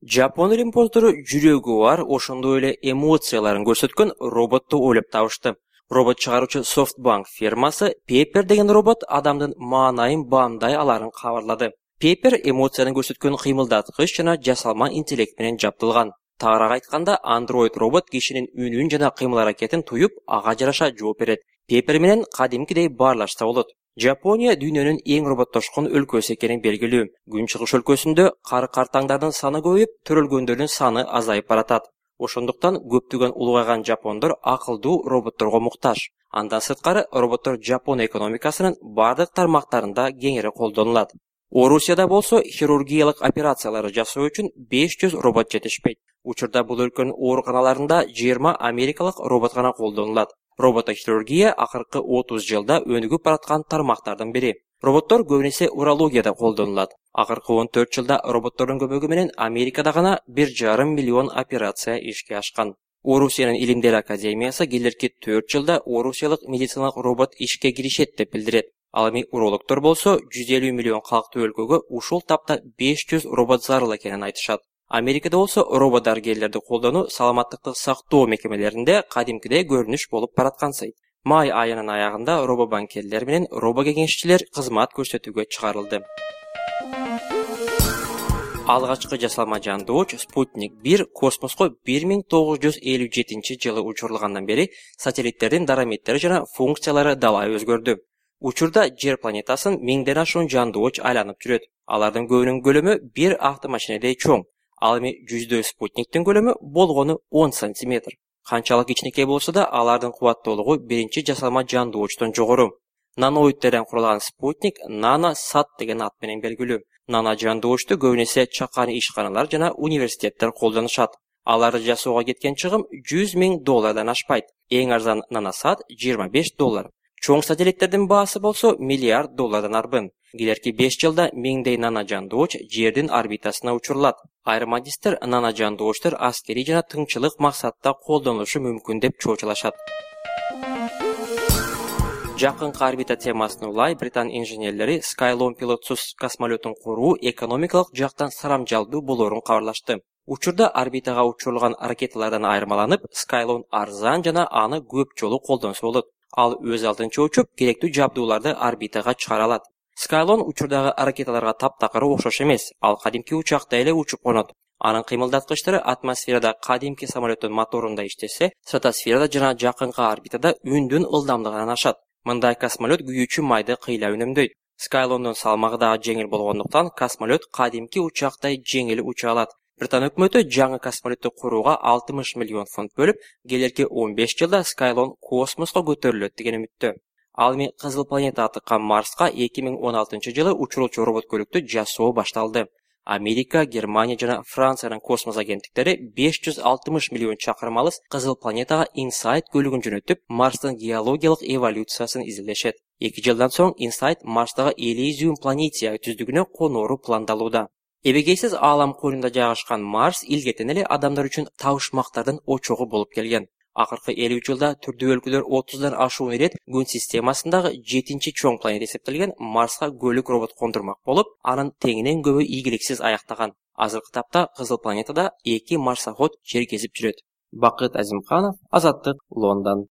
Жапон римпоздору жүрөгү бар, ошондой эле эмоцияларын көрсөткөн роботту ойлоп табышты. Робот чыгаруучу SoftBank фирмасы Pepper деген робот адамдын маанайын баамдай аларын кабарлады. Pepper эмоцияны көрсөткөн кыймылдаткыч жана жасалма интеллект менен жабдылган. Тагыраак айтканда, Android робот кишинин үнүн жана кыймыл-аракетин туюп, ага жараша жооп берет. Pepper менен кадимкидей баарлашса болот. Жапония дүйнөнүн эң роботтошкон өлкөсү экени белгилүү. Күнчыгыш өлкөсүндө кар-картаңдардын саны көбөйүп, төрөлгөндөрдүн саны азайып баратат. Ошондуктан көптөгөн улгайган жапондор акылдуу роботторго муктаж. Андан сырткары, роботтор Жапон экономикасынын бардык тармактарында кеңири колдонулат. Орусияда болсо хирургиялык операцияларды жасоо үчүн 500 робот жетишпейт. Учурда бул өлкөнүн ооруканаларында 20 америкалык робот гана колдонулат. Роботохирургия акыркы 30 жылда өнүгүп бараткан тармактардын бири. Роботтор көбүнесе урологияда колдонулат. Акыркы 14 жылда роботтордун көмөгү менен Америкада гана 1,5 миллион операция ишке ашкан. Орусиянын Илимдер академиясы келерки 4 жылда орусиялык медициналык робот ишке киришет деп билдирет. Ал эми урологдор болсо 150 миллион калктуу өлкөгө ушул тапта 500 робот зарыл экенин айтышат. Америкада болсо робот дарыгерлерди колдонуу саламаттыкты сактоо мекемелеринде кадимкидей көрүнүш болуп бараткансый. Май айынын аягында робобанкерлер менен робокеңешчилер кызмат көрсөтүүгө чыгарылды. Алгачкы жасалма жандооч Спутник 1 космоско 1957 жылы учурулгандан бери сателлиттердин дараметтери жана функциялары далай өзгөрдү. Учурда Жер планетасын 1000ден ашуун жандооч айланып жүрөт. Алардын көбүнүн көлөмү бир автомашинедей чоң. Ал эми 100 спутниктин көлөмү болгону 10 сантиметр. Канчалык кичинекей болсо да, алардын кубаттуулугу биринчи жасалма жандоочтон жогору. Наноидтерден курулган спутник NanoSat деген ат менен белгилүү. Нано жандоочту көбүнесе чакан ишканалар жана университеттер колдонушат. Аларды жасоого кеткен чыгым $100,000 ашпайт. Эң арзан NanoSat $25. Чоң сателлиттердин баасы болсо $1 миллиард арбын. Келерки 5 жылда 1000дей нано жандооч Жердин орбитасына учурулат. Айрым адистер нано жандоочтор аскерий жана тыңчылык максатта колдонулушу мүмкүн деп чоочулашат. Жакынкы орбита темасын улай Британ инженерлери Skylon пилотсуз космолетун куруу экономикалык жактан сарамжалдуу болоорун кабарлашты. Учурда орбитага учурулган ракеталардан айырмаланып, Skylon арзан жана аны көп жолу колдонсо болот. Ал өз алдынча учуп, керектүү жабдууларды орбитага чыгара алат. Skylon учурдагы ракеталарга таптакыр окшош эмес. Ал кадимки учактай эле учуп конот. Анын кыймылдаткычтары атмосферада кадимки самолеттин моторунда иштесе, стратосферада жана жакынкы орбитада үндүн ылдамдыгынан ашат. Мындай космолет күйүүчү майды кыйла үнөмдөйт. Skylon'дун салмагы да жеңил болгондуктан космолет кадимки учактай жеңил уча алат. Британ өкмөтү жаңы космолетту курууга 60 миллион фунт бөлүп, келерки 15 жылда Skylon космоско көтөрүлөт деген үмүттө. Ал эми Кызыл планета атыккан Марска 2016 жылы учурулчу робот көлүктү жасоо башталды. Америка, Германия жана Франциянын космос агенттиктери 560 миллион чакырым алыс Кызыл планетага Insight көлүгүн жөнөтүп, Марстын геологиялык эволюциясын изилдешет. 2 жылдан соң Insight Марстагы Elysium планетия түздүгүнө коноору пландалууда. Эбегейсиз аалам коюнунда жайгашкан Марс илгертен эле адамдар үчүн табышмактардын очогу болуп келген. Акыркы 50 жылда түрдүү өлкөлөр 30дан ашуун ирет күн системасындагы 7-чи чоң планета эсептелген Марска көлүк робот кондурмак болуп, анын теңинен көбү ийгиликсиз аяктаган. Азыркы тапта Кызыл планетада 2 марсоход жер кезип жүрөт. Бакыт Азимканов, Азаттык, Лондон.